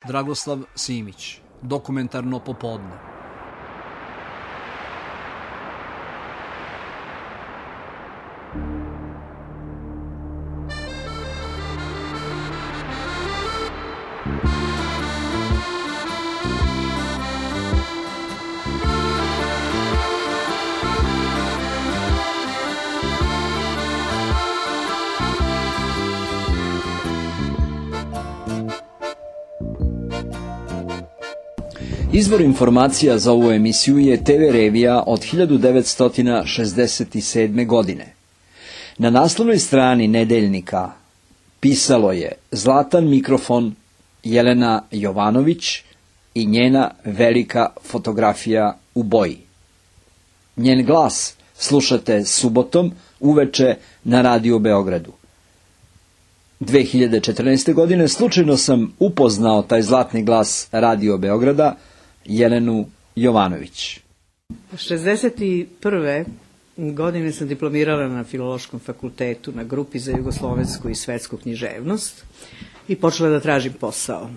Dragoslav Simić, Dokumentarno popodne. Izvor informacija za ovu emisiju je TV revija od 1967. godine. Na naslovnoj strani nedeljnika pisalo je Zlatan mikrofon Jelena Jovanović i njena velika fotografija u boji. Njen glas slušate subotom uveče na Radio Beogradu. 2014. godine slučajno sam upoznao taj zlatni glas Radio Beograda, Jelenu Jovanović. 1961. godine sam diplomirala na Filološkom fakultetu na grupi za jugoslovensku i svetsku književnost i počela da tražim posao.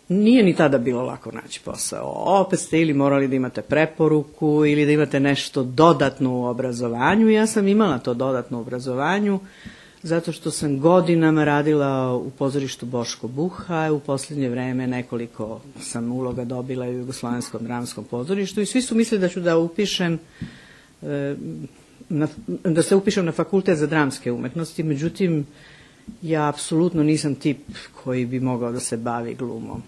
Nije ni tada bilo lako naći posao. Opet ste ili morali da imate preporuku ili da imate nešto dodatno u obrazovanju. Ja sam imala to dodatno u obrazovanju zato što sam godinama radila u pozorištu Boško Buha, u posljednje vreme nekoliko sam uloga dobila u Jugoslovenskom dramskom pozorištu i svi su mislili da ću da upišem da se upišem na fakultet za dramske umetnosti, međutim ja apsolutno nisam tip koji bi mogao da se bavi glumom.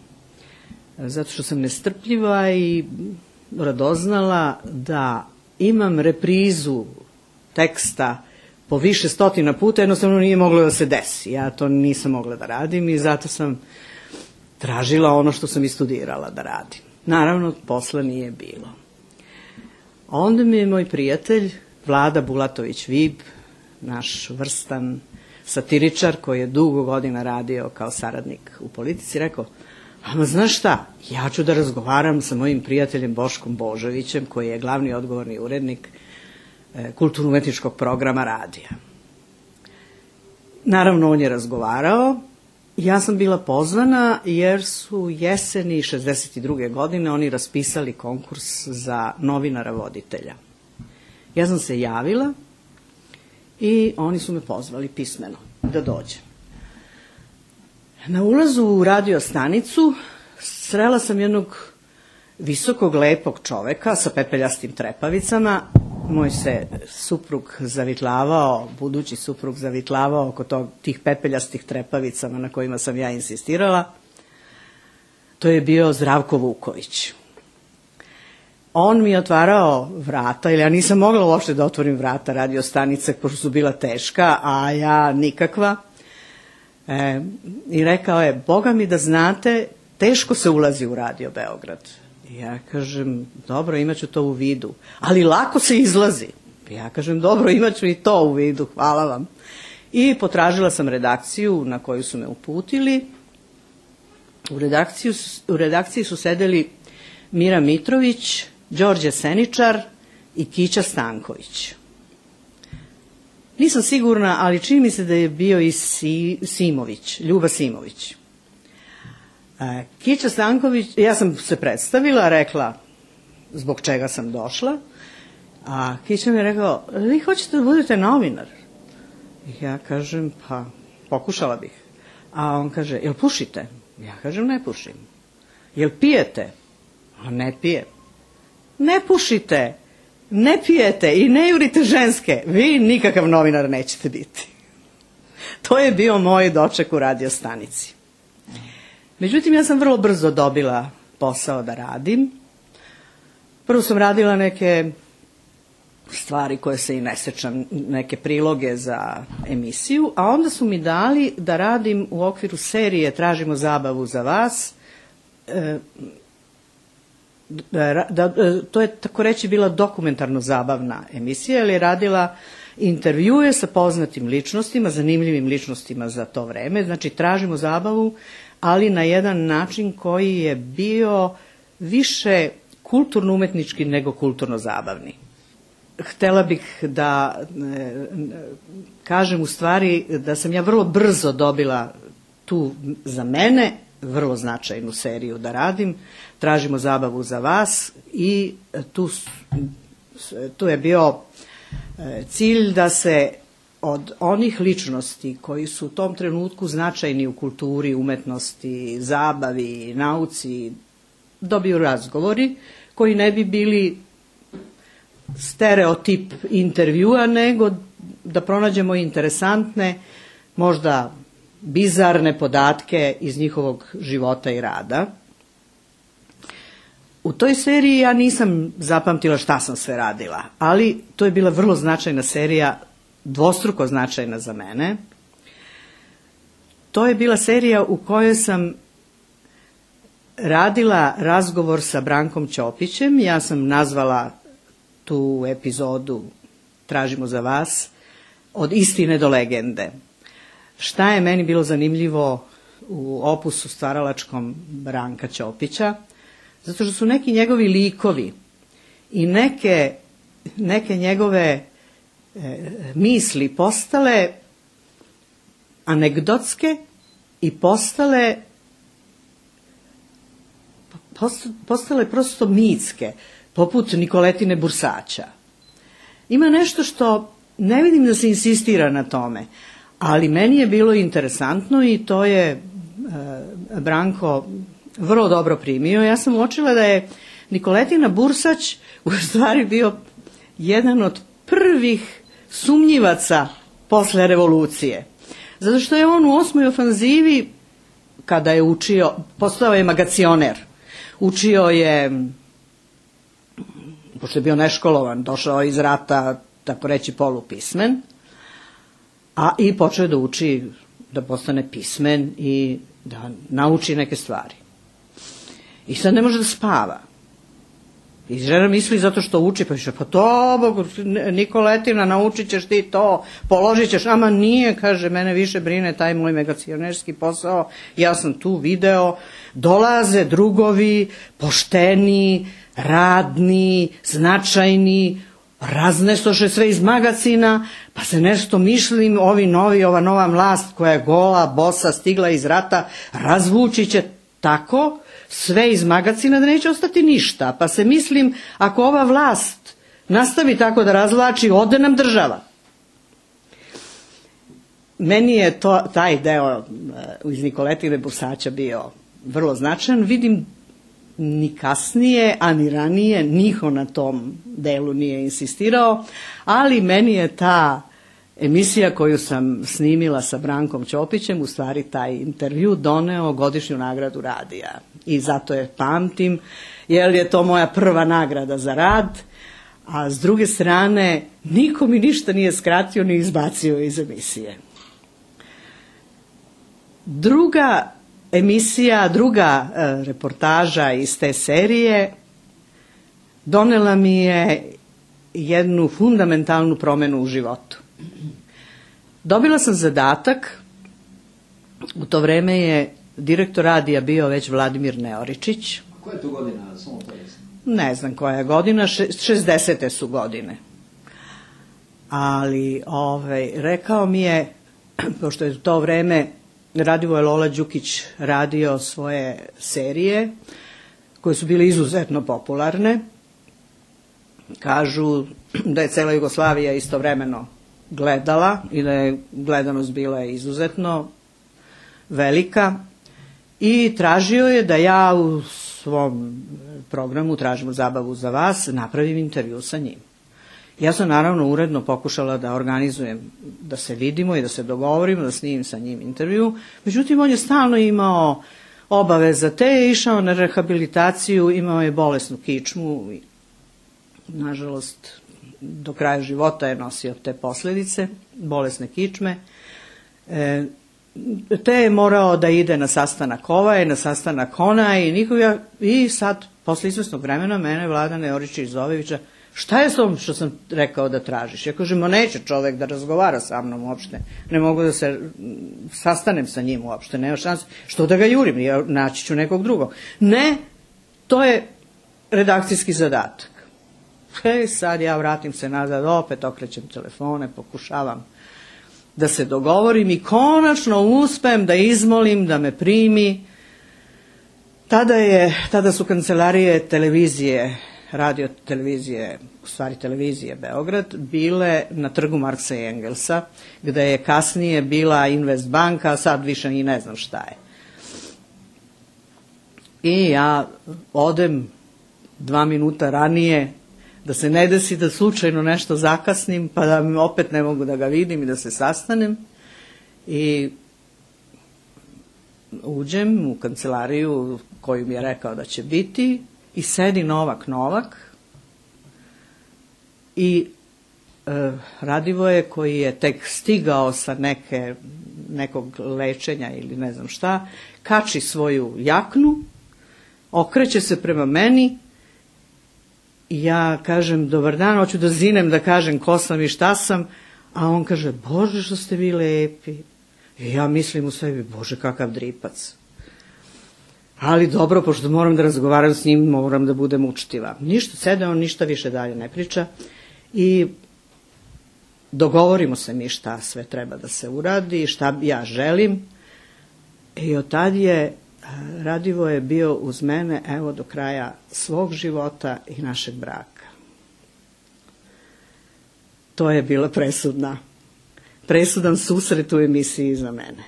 Zato što sam nestrpljiva i radoznala da imam reprizu teksta po više stotina puta, jednostavno nije moglo da se desi. Ja to nisam mogla da radim i zato sam tražila ono što sam i studirala da radim. Naravno, posla nije bilo. Onda mi je moj prijatelj, Vlada Bulatović-Vib, naš vrstan satiričar koji je dugo godina radio kao saradnik u politici, rekao, ama znaš šta, ja ću da razgovaram sa mojim prijateljem Boškom Božovićem, koji je glavni odgovorni urednik kulturno-umetničkog programa radija. Naravno, on je razgovarao. Ja sam bila pozvana jer su jeseni 1962. godine oni raspisali konkurs za novinara voditelja. Ja sam se javila i oni su me pozvali pismeno da dođem. Na ulazu u radio stanicu srela sam jednog visokog, lepog čoveka sa pepeljastim trepavicama. Moj se suprug zavitlavao, budući suprug zavitlavao oko tih pepeljastih trepavicama na kojima sam ja insistirala. To je bio Zdravko Vuković. On mi je otvarao vrata, ili ja nisam mogla uopšte da otvorim vrata radio stanice, pošto su bila teška, a ja nikakva. I rekao je, Boga mi da znate, teško se ulazi u Radio Beograd. Ja kažem, dobro, imaću to u vidu, ali lako se izlazi. Ja kažem, dobro, imaću i to u vidu, hvala vam. I potražila sam redakciju na koju su me uputili. U redakciji su sedeli Mira Mitrović, Đorđe Seničar i Kića Stanković. Nisam sigurna, ali čini mi se da je bio i Simović, Ljuba Simović. Kića Stanković, ja sam se predstavila, rekla zbog čega sam došla, a Kića mi je rekao, vi hoćete da budete novinar? Ja kažem, pa pokušala bih. A on kaže, jel pušite? Ja kažem, ne pušim. Jel pijete? A ne pijem. Ne pušite, ne pijete i ne jurite ženske, vi nikakav novinar nećete biti. To je bio moj doček u radio stanici. Međutim, ja sam vrlo brzo dobila posao da radim. Prvo sam radila neke stvari koje se i ne sećam, neke priloge za emisiju, a onda su mi dali da radim u okviru serije Tražimo zabavu za vas. To je tako reći bila dokumentarno zabavna emisija, jer je radila intervjue sa poznatim ličnostima, zanimljivim ličnostima za to vreme. Znači, tražimo zabavu, ali na jedan način koji je bio više kulturno-umetnički nego kulturno-zabavni. Htela bih da kažem u stvari da sam ja vrlo brzo dobila tu za mene vrlo značajnu seriju da radim. Tražimo zabavu za vas i tu je bio cilj da se od onih ličnosti koji su u tom trenutku značajni u kulturi, umetnosti, zabavi, nauci, dobiju razgovori koji ne bi bili stereotip intervjua, nego da pronađemo interesantne, možda bizarne podatke iz njihovog života i rada. U toj seriji ja nisam zapamtila šta sam sve radila, ali to je bila vrlo značajna serija, dvostruko značajna za mene. To je bila serija u kojoj sam radila razgovor sa Brankom Ćopićem. Ja sam nazvala tu epizodu Tražimo za vas od istine do legende. Šta je meni bilo zanimljivo u opusu stvaralačkom Branka Ćopića? Zato što su neki njegovi likovi i neke njegove misli postale anegdotske i postale prosto mitske, poput Nikoletine Bursača. Ima nešto što ne vidim da se insistira na tome, ali meni je bilo interesantno i to je Branko vrlo dobro primio. Ja sam uočila da je Nikoletina Bursać u stvari bio jedan od prvih sumnjivaca posle revolucije. Zato što je on u 8. ofanzivi, kada je učio, postao je magacioner. Učio je, pošto je bio neškolovan, došao iz rata, tako reći, polupismen, i počeo da uči, da postane pismen i da nauči neke stvari. I sad ne može da spava. I žena misli zato što uči, pa više, pa to, Nikoletina, naučit ćeš ti to, položit ćeš, ama nije, kaže, mene više brine taj moj magacionerski posao, ja sam tu video, dolaze drugovi, pošteni, radni, značajni, raznesoše sve iz magacina, pa se nešto mislim, ovi novi, ova nova vlast koja je gola, bosa, stigla iz rata, razvući će tako sve iz magacina da neće ostati ništa. Pa se mislim, ako ova vlast nastavi tako da razvlači, ode nam država. Meni je taj deo iz Nikoletine Bursača bio vrlo značajan. Vidim, ni kasnije, a ni ranije niko na tom delu nije insistirao, ali meni je ta emisija koju sam snimila sa Brankom Ćopićem, u stvari taj intervju, doneo godišnju nagradu radija. I zato je pamtim, jer je to moja prva nagrada za rad, a s druge strane niko mi ništa nije skratio ni izbacio iz emisije. Druga emisija, druga reportaža iz te serije donela mi je jednu fundamentalnu promenu u životu. Dobila sam zadatak, u to vreme je direktor radija bio već Vladimir Neoričić. Koja je to godina? Samo to jesno. Ne znam koja je godina, 60. su godine. Ali rekao mi je, pošto je u to vreme Radivoje Lola Đukić radio svoje serije, koje su bile izuzetno popularne. Kažu da je cela Jugoslavija istovremeno gledala i da je gledanost bila izuzetno velika. I tražio je da ja u svom programu Tražimo zabavu za vas napravim intervju sa njim. Ja sam naravno uredno pokušala da organizujem, da se vidimo i da se dogovorimo, da snimim sa njim intervju. Međutim, on je stalno imao obaveza, te je išao na rehabilitaciju, imao je bolesnu kičmu i, nažalost, do kraja života je nosio te posljedice, bolesne kičme. Te je morao da ide na sastanak ovaj, na sastanak onaj i sad, posle izvesnog vremena, mene Vlada Neoričić Zovevića, šta je s tom što sam rekao da tražiš? Ja kažem, neće čovek da razgovara sa mnom uopšte, ne mogu da se sastanem sa njim uopšte, nema šanse, što da ga jurim, ja naći ću nekog drugog. Ne, to je redakcijski zadatak. Sad ja vratim se nazad, opet okrećem telefone, pokušavam da se dogovorim i konačno uspem da izmolim da me primi. Tada su kancelarije televizije, radio televizije, u stvari televizije Beograd, bile na trgu Marksa i Engelsa, gde je kasnije bila Invest banka, a sad više i ne znam šta je. I ja odem 2 minuta ranije, da se ne desi da slučajno nešto zakasnim, pa da opet ne mogu da ga vidim i da se sastanem. I uđem u kancelariju koju mi je rekao da će biti i sedi Novak i Radivoje, koji je tek stigao sa nekog lečenja ili ne znam šta, kači svoju jaknu, okreće se prema meni i ja kažem dobar dan, hoću da zinem da kažem ko sam i šta sam, a on kaže Bože što ste vi lepi. I ja mislim u sebi, Bože kakav dripac. Ali dobro, pošto moram da razgovaram s njim, moram da budem učtiva. Ništa, sede on, ništa više dalje ne priča i dogovorimo se mi šta sve treba da se uradi, šta ja želim. I od tad je Radivoje bio uz mene, evo, do kraja svog života i našeg braka. To je bila presudan susret u emisiji za mene.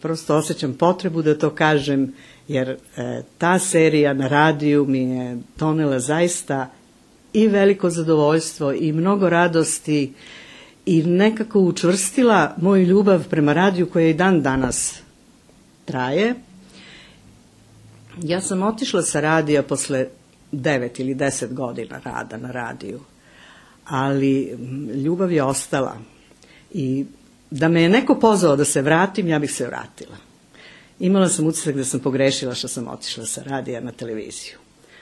Prosto osjećam potrebu da to kažem, jer ta serija na radiju mi je donela zaista i veliko zadovoljstvo i mnogo radosti i nekako učvrstila moju ljubav prema radiju koja i dan danas traje. Ja sam otišla sa radija posle 9 ili 10 godina rada na radiju, ali ljubav je ostala i da me je neko pozvao da se vratim, ja bih se vratila. Imala sam utisak da sam pogrešila što sam otišla sa radija na televiziju.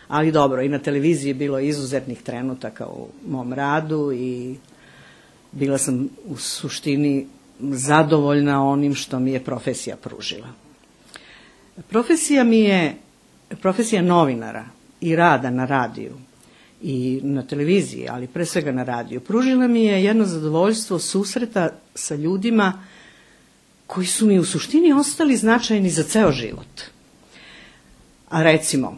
Ali dobro, i na televiziji je bilo izuzetnih trenutaka u mom radu i bila sam u suštini zadovoljna onim što mi je profesija pružila. Profesija mi je profesija novinara i rada na radiju i na televiziji, ali pre svega na radiju. Pružila mi je jedno zadovoljstvo susreta sa ljudima koji su mi u suštini ostali značajni za ceo život. A recimo,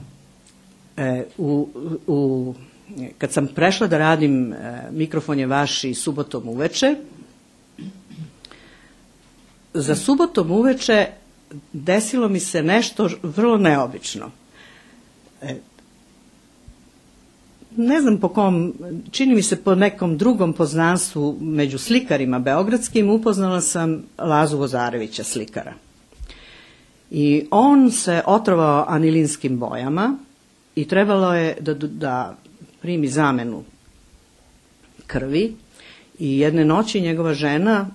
kad sam prešla da radim Mikrofon je vaš i subotom uveče, za subotom uveče desilo mi se nešto vrlo neobično. Ne znam po kom, čini mi se po nekom drugom poznanstvu među slikarima beogradskim, upoznala sam Lazu Vozarevića, slikara. I on se otrovao anilinskim bojama i trebalo je da primi zamenu krvi i jedne noći njegova žena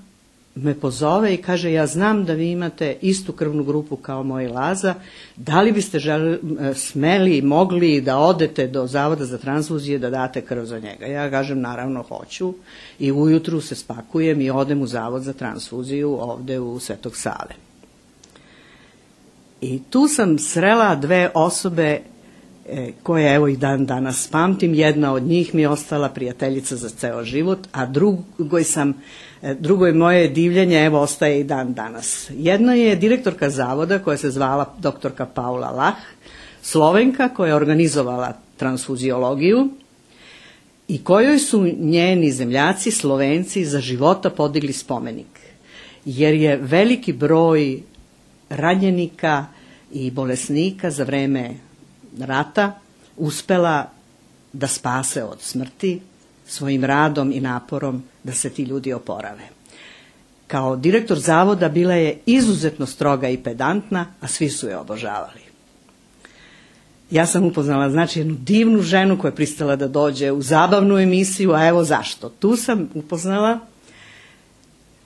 me pozove i kaže, ja znam da vi imate istu krvnu grupu kao moj Laza, da li biste smeli i mogli da odete do Zavoda za transfuzije da date krv za njega. Ja kažem, naravno hoću, i ujutru se spakujem i odem u Zavod za transfuziju ovde u Svetog Save. I tu sam srela dve osobe koje evo i dan danas pamtim. Jedna od njih mi je ostala prijateljica za ceo život, a drugo je moje divljenje, evo, ostaje i dan danas. Jedna je direktorka zavoda koja se zvala doktorka Paula Lah, Slovenka koja je organizovala transfuziologiju i kojoj su njeni zemljaci, Slovenci, za života podigli spomenik. Jer je veliki broj ranjenika i bolesnika za vreme rata uspela da spase od smrti svojim radom i naporom da se ti ljudi oporave. Kao direktor zavoda bila je izuzetno stroga i pedantna, a svi su je obožavali. Ja sam upoznala, znači, jednu divnu ženu koja je pristala da dođe u zabavnu emisiju, a evo zašto. Tu sam upoznala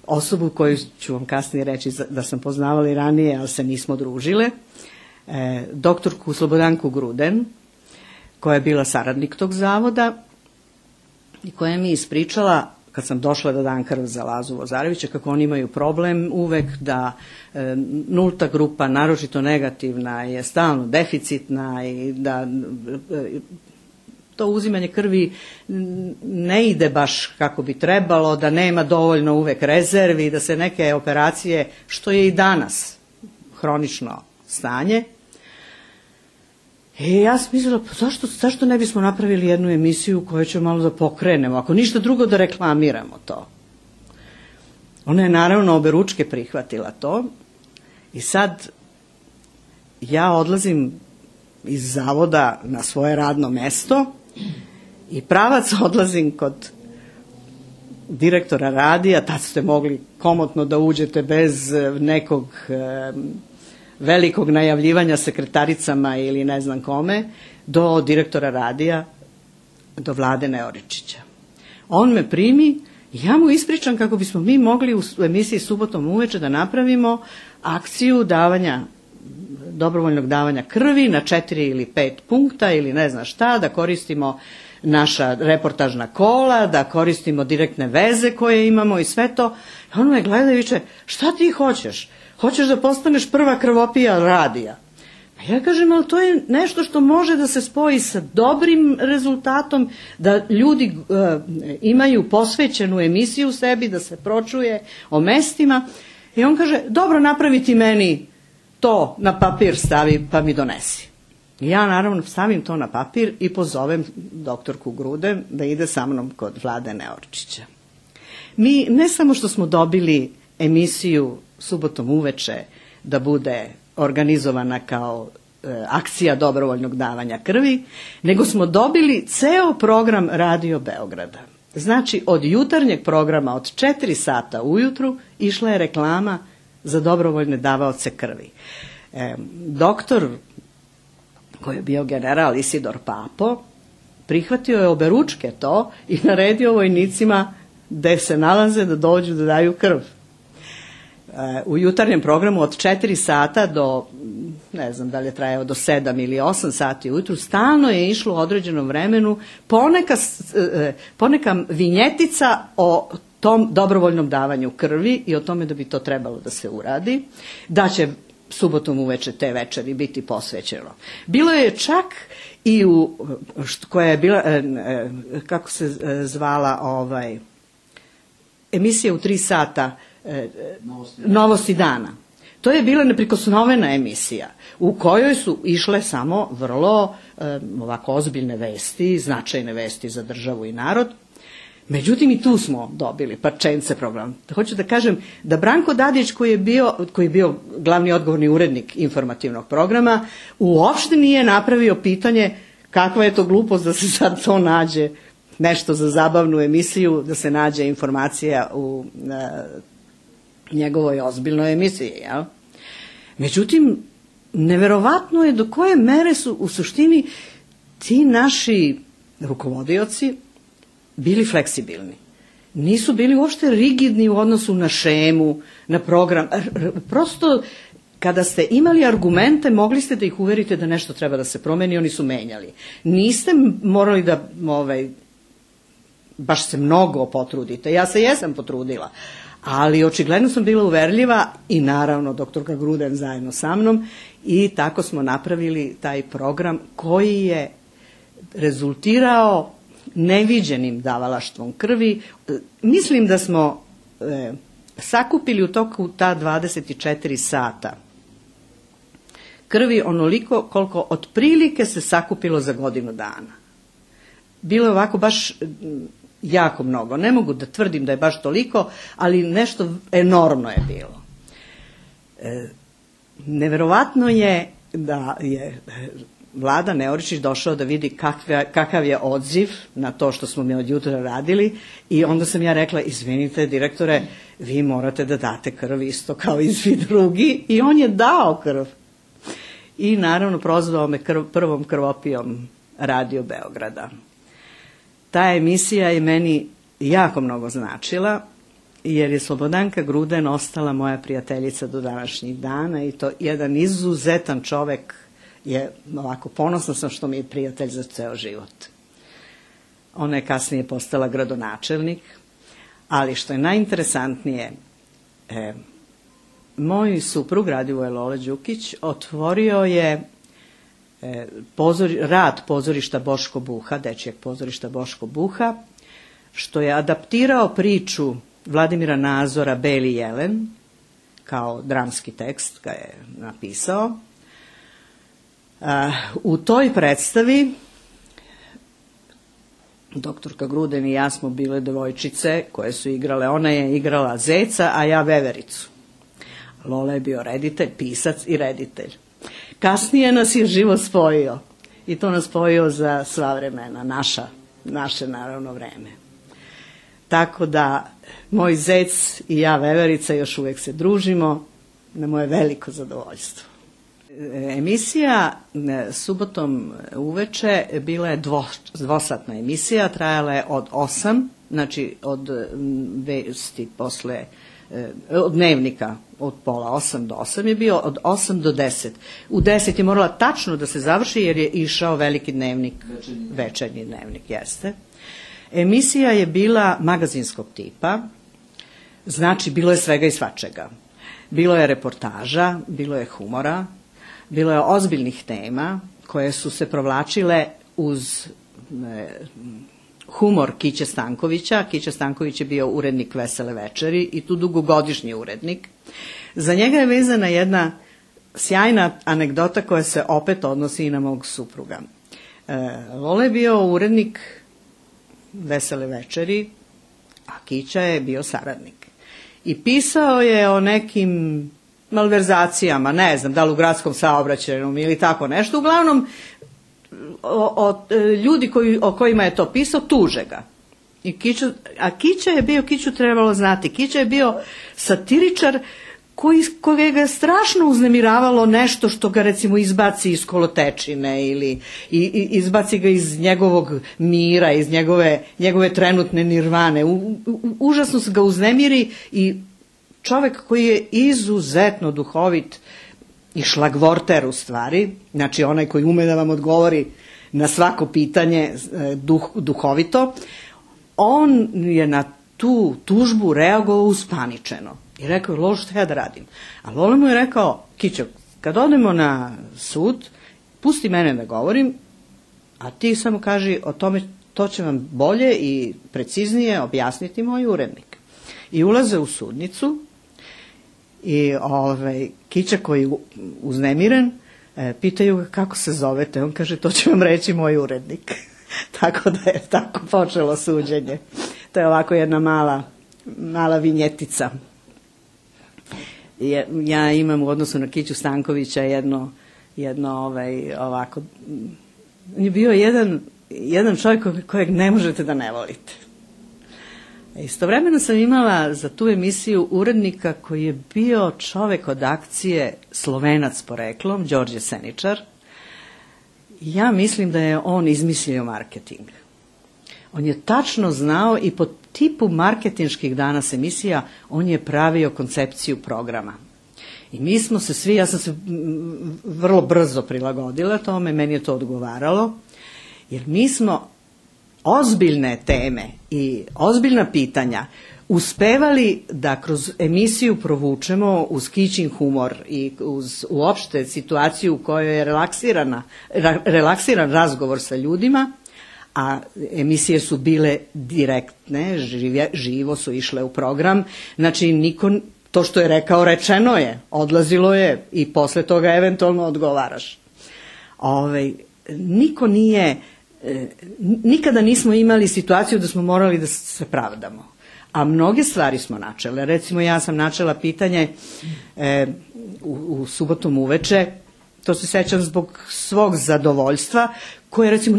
osobu koju ću vam kasnije reći da sam poznavala i ranije, ali se nismo družile, doktorku Slobodanku Gruden, koja je bila saradnik tog zavoda i koja mi ispričala, kad sam došla da dam krv za Lazu Vozarevića, kako oni imaju problem uvek da nulta grupa, naročito negativna, je stalno deficitna i da to uzimanje krvi ne ide baš kako bi trebalo, da nema dovoljno uvek rezervi, da se neke operacije, što je i danas hronično stanje. Ja sam mislila, pa zašto ne bismo napravili jednu emisiju koju ćemo malo da pokrenemo, ako ništa drugo da reklamiramo to. Ona je naravno oberučke prihvatila to i sad ja odlazim iz zavoda na svoje radno mesto i pravac odlazim kod direktora radija, tad ste mogli komotno da uđete bez nekog velikog najavljivanja sekretaricama ili ne znam kome, do direktora radija, do Vlade Neoričića. On me primi i ja mu ispričam kako bismo mi mogli u emisiji Subotom uveče da napravimo akciju dobrovoljnog davanja krvi na 4 ili 5 punkta ili ne znam šta, da koristimo naša reportažna kola, da koristimo direktne veze koje imamo i sve to. I on me gleda i viče, šta ti hoćeš? Hoćeš da postaneš prva krvopija radija? Pa ja kažem, ali to je nešto što može da se spoji sa dobrim rezultatom, da ljudi imaju posvećenu emisiju u sebi, da se pročuje o mestima. I on kaže, dobro, napravi ti meni to na papir stavi pa mi donesi. I ja naravno stavim to na papir i pozovem doktorku Gruden da ide sa mnom kod Vlade Neorčića. Mi ne samo što smo dobili emisiju Subotom uveče da bude organizovana kao akcija dobrovoljnog davanja krvi, nego smo dobili ceo program Radio Beograda. Znači, od jutarnjeg programa od 4 sata ujutru išla je reklama za dobrovoljne davaoce krvi. Doktor, koji je bio general Isidor Papo, prihvatio je oberučke to i naredio vojnicima gde se nalaze da dođu da daju krv. U jutarnjem programu od 4 sata do, ne znam da li je trajao do 7 ili 8 sati ujutru, stalno je išlo u određenom vremenu poneka vinjetica o tom dobrovoljnom davanju krvi i o tome da bi to trebalo da se uradi, da će subotom uveče te večeri biti posvećeno. Bilo je čak i koja je bila, kako se zvala emisija u 3 sata, Novosti dana. To je bila neprikosnovena emisija u kojoj su išle samo vrlo ovako ozbiljne vesti, značajne vesti za državu i narod. Međutim, i tu smo dobili parčence program. Hoću da kažem da Branko Dadić, koji je bio glavni odgovorni urednik informativnog programa, uopšte nije napravio pitanje kakva je to glupost da se sad to nađe, nešto za zabavnu emisiju, da se nađe informacija u njegovoj ozbiljnoj emisiji. Jel? Međutim, neverovatno je do koje mere su u suštini ti naši rukovodioci bili fleksibilni. Nisu bili uopšte rigidni u odnosu na šemu, na program. Prosto, kada ste imali argumente, mogli ste da ih uverite da nešto treba da se promeni, oni su menjali. Niste morali da baš se mnogo potrudite. Ja se jesam potrudila, ali očigledno sam bila uverljiva i naravno doktorka Gruden zajedno sa mnom i tako smo napravili taj program koji je rezultirao neviđenim davalaštvom krvi. Mislim da smo sakupili u toku ta 24 sata krvi onoliko koliko otprilike se sakupilo za godinu dana. Bilo je ovako baš jako mnogo. Ne mogu da tvrdim da je baš toliko, ali nešto enormno je bilo. Neverovatno je da je Vlada Neoričić došao da vidi kakav je odziv na to što smo mi od jutra radili i onda sam ja rekla, izvinite direktore, vi morate da date krv isto kao i svi drugi, i on je dao krv. I naravno prozvao me prvom krvopijom Radio Beograda. Ta emisija je meni jako mnogo značila, jer je Slobodanka Gruden ostala moja prijateljica do današnjih dana i to jedan izuzetan čovek. Je ovako, ponosna sam što mi je prijatelj za ceo život. Ona je kasnije postala gradonačelnik, ali što je najinteresantnije, moj suprug Radivoje Lole Đukić otvorio je rad pozorišta Boško Buha, dečijeg pozorišta Boško Buha, što je adaptirao priču Vladimira Nazora Beli jelen, kao dramski tekst ga je napisao. U toj predstavi doktorka Gruden i ja smo bile devojčice koje su igrale, ona je igrala Zeca, a ja Vevericu. Lola je bio reditelj, pisac i reditelj. Kasnije nas je život spojio i to nas spojio za sva vremena, naše naravno vreme. Tako da moj Zec i ja Veverica još uvek se družimo, na moje veliko zadovoljstvo. Emisija subotom uveče bila je dvosatna emisija, trajala je od 8, znači od vesti posle, od dnevnika od pola 8 do 8 je bio, od 8 do 10. U 10 je morala tačno da se završi jer je išao veliki dnevnik, večernji dnevnik, jeste. Emisija je bila magazinskog tipa, znači bilo je svega i svačega. Bilo je reportaža, bilo je humora, bilo je ozbiljnih tema koje su se provlačile uz humor Kiće Stankovića. Kića Stanković je bio urednik Vesele večeri i tu dugogodišnji urednik. Za njega je vezana jedna sjajna anegdota koja se opet odnosi i na mog supruga. Lola je bio urednik Vesele večeri, a Kića je bio saradnik. I pisao je o nekim malverzacijama, ne znam, da li u gradskom saobraćaju ili tako nešto. Uglavnom, ljudi o kojima je to pisao, tuže ga. A Kića je bio, Kiću trebalo znati, Kića je bio satiričar kojega je strašno uznemiravalo nešto što ga recimo izbaci iz kolotečine ili izbaci ga iz njegovog mira, iz njegove trenutne nirvane. Užasno se ga uznemiri i čovek koji je izuzetno duhovit i šlagvorter u stvari, znači onaj koji ume da vam odgovori na svako pitanje duhovito, on je na tu tužbu reagovao uspaničeno. I rekao je, Lolo, šta ja da radim? A Lolo mu je rekao, Kićo, kad odemo na sud, pusti mene da govorim, a ti samo kaži o tome, to će vam bolje i preciznije objasniti moj urednik. I ulaze u sudnicu i Kića koji je uznemiren, pitaju ga kako se zovete. On kaže, to će vam reći moj urednik. Tako da je tako počelo suđenje. To je ovako jedna mala vinjetica. Ja imam u odnosu na Kiću Stankovića jedno ovako, on je bio jedan čovjek kojeg ne možete da ne volite. Istovremeno sam imala za tu emisiju urednika koji je bio čovjek od akcije, Slovenac poreklom, Đorđe Seničar. Ja mislim da je on izmislio marketing. On je tačno znao i po tipu marketinških danas emisija on je pravio koncepciju programa. I mi smo se svi, ja sam se vrlo brzo prilagodila tome, meni je to odgovaralo, jer mi smo ozbiljne teme i ozbiljna pitanja uspevali da kroz emisiju provučemo uz Kićin humor i uz uopšte situaciju u kojoj je relaksiran razgovor sa ljudima, a emisije su bile direktne, živo su išle u program, znači to što je rekao rečeno je, odlazilo je i posle toga eventualno odgovaraš. Nikada nismo imali situaciju da smo morali da se pravdamo, a mnoge stvari smo načele. Recimo ja sam načela pitanje u subotom uveče, to se sećam zbog svog zadovoljstva, koje recimo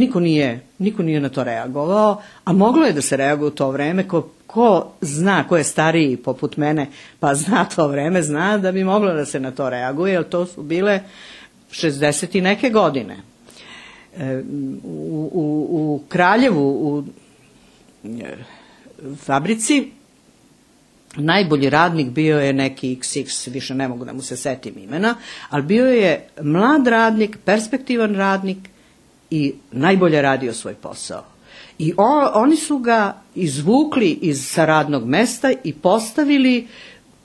niko nije na to reagovao, a moglo je da se reaguje u to vreme, ko zna, ko je stariji poput mene, pa zna to vreme, zna da bi moglo da se na to reaguje, jer to su bile 60 i neke godine. U Kraljevu, u fabrici, najbolji radnik bio je neki XX, više ne mogu da mu se setim imena, ali bio je mlad radnik, perspektivan radnik i najbolje radio svoj posao. I oni su ga izvukli sa radnog mesta i postavili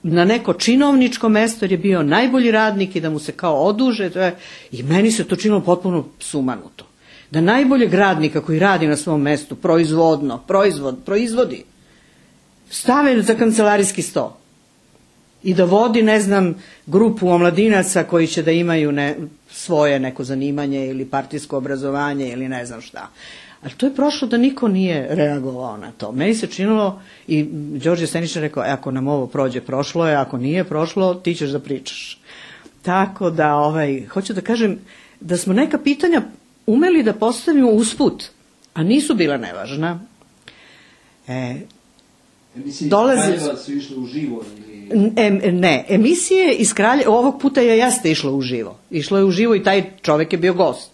na neko činovničko mesto jer je bio najbolji radnik i da mu se kao oduže. I meni se to činilo potpuno sumanuto. Da najboljeg radnika koji radi na svom mestu, proizvodi, stave za kancelarijski sto i da vodi, ne znam, grupu omladinaca koji će da imaju svoje neko zanimanje ili partijsko obrazovanje ili ne znam šta. Ali to je prošlo da niko nije reagovao na to. Meni se činilo, i Đorđe Steničar rekao, ako nam ovo prođe, prošlo je, ako nije prošlo, ti ćeš da pričaš. Tako da, hoću da kažem da smo neka pitanja umeli da postavimo usput, a nisu bila nevažna. Emisije iz Kraljeva su išle uživo? Ne, emisije iz Kraljeva, ovog puta jeste išlo uživo. Išlo je uživo i taj čovek je bio gost.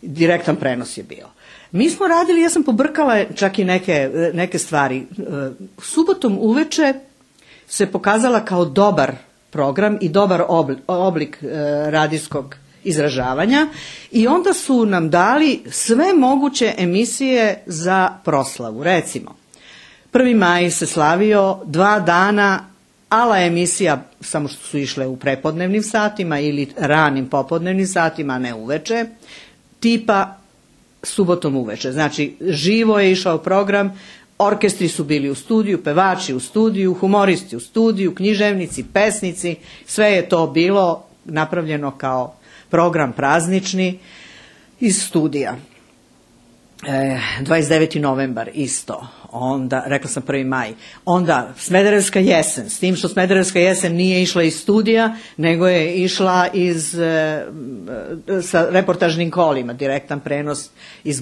Direktan prenos je bio. Mi smo radili, ja sam pobrkala čak i neke stvari. Subotom uveče se pokazala kao dobar program i dobar oblik radijskog izražavanja i onda su nam dali sve moguće emisije za proslavu. Recimo, 1. maj se slavio 2 dana ala emisija, samo što su išle u prepodnevnim satima ili ranim popodnevnim satima, a ne uveče, tipa subotom uveče. Znači, živo je išao program, orkestri su bili u studiju, pevači u studiju, humoristi u studiju, književnici, pesnici, sve je to bilo napravljeno kao program praznični iz studija. 29. novembar isto, onda, rekla sam 1. maj, onda Smederevska jesen, s tim što Smederevska jesen nije išla iz studija, nego je išla sa reportažnim kolima, direktan prenos iz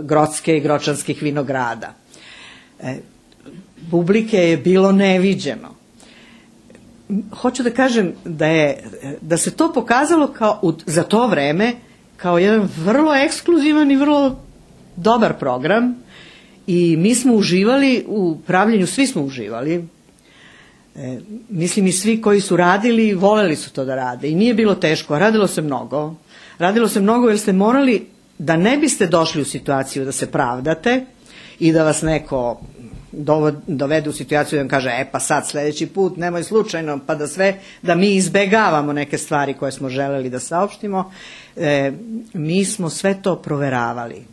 Grocke i Gročanskih vinograda. Publike je bilo neviđeno. Hoću da kažem da se to pokazalo za to vreme kao jedan vrlo ekskluzivan i vrlo dobar program i mi smo uživali u pravljenju, svi smo uživali. Mislim i svi koji su radili, voleli su to da rade i nije bilo teško, a radilo se mnogo. Radilo se mnogo jer ste morali, da ne biste došli u situaciju da se pravdate i da vas neko dovede u situaciju da vam kaže, pa sad sledeći put nemoj slučajno, pa da mi izbegavamo neke stvari koje smo želeli da saopštimo. Mi smo sve to proveravali.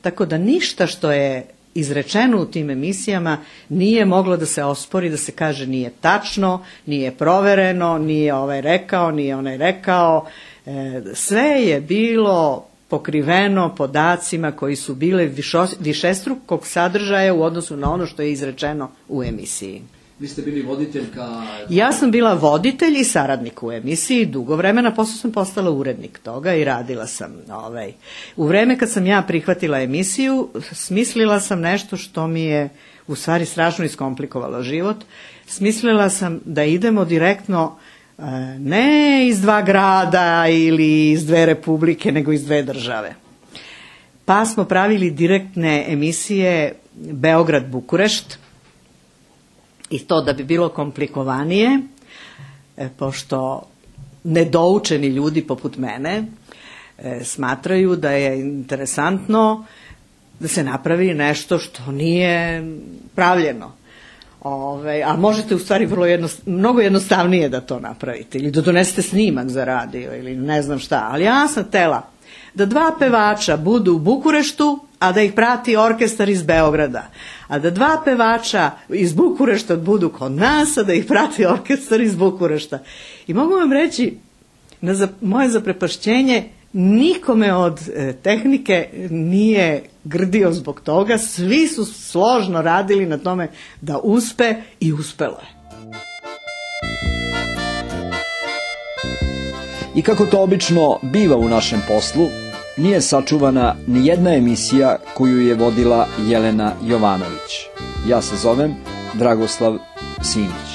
Tako da ništa što je izrečeno u tim emisijama nije moglo da se ospori, da se kaže nije tačno, nije provereno, nije ovaj rekao, nije onaj rekao. Sve je bilo pokriveno podacima koji su bile višestrukog sadržaja u odnosu na ono što je izrečeno u emisiji. Vi ste bili voditeljka? Ja sam bila voditelj i saradnik u emisiji dugo vremena, posle sam postala urednik toga i radila sam. U vreme kad sam ja prihvatila emisiju, smislila sam nešto što mi je u stvari strašno iskomplikovalo život. Smislila sam da idemo direktno ne iz 2 grada ili iz 2 republike, nego iz 2 države. Pa smo pravili direktne emisije Beograd-Bukurešt i to da bi bilo komplikovanije, pošto nedoučeni ljudi poput mene smatraju da je interesantno da se napravi nešto što nije pravljeno. A možete u stvari mnogo jednostavnije da to napravite ili da donesete snimak za radio ili ne znam šta, ali ja sam htela da 2 pevača budu u Bukureštu, a da ih prati orkestar iz Beograda, a da 2 pevača iz Bukurešta budu kod nas, a da ih prati orkestar iz Bukurešta. I mogu vam reći, na moje zaprepašćenje, nikome od tehnike nije grdio zbog toga, svi su složno radili na tome da uspe i uspelo je. I kako to obično biva u našem poslu, nije sačuvana ni jedna emisija koju je vodila Jelena Jovanović. Ja se zovem Dragoslav Simić.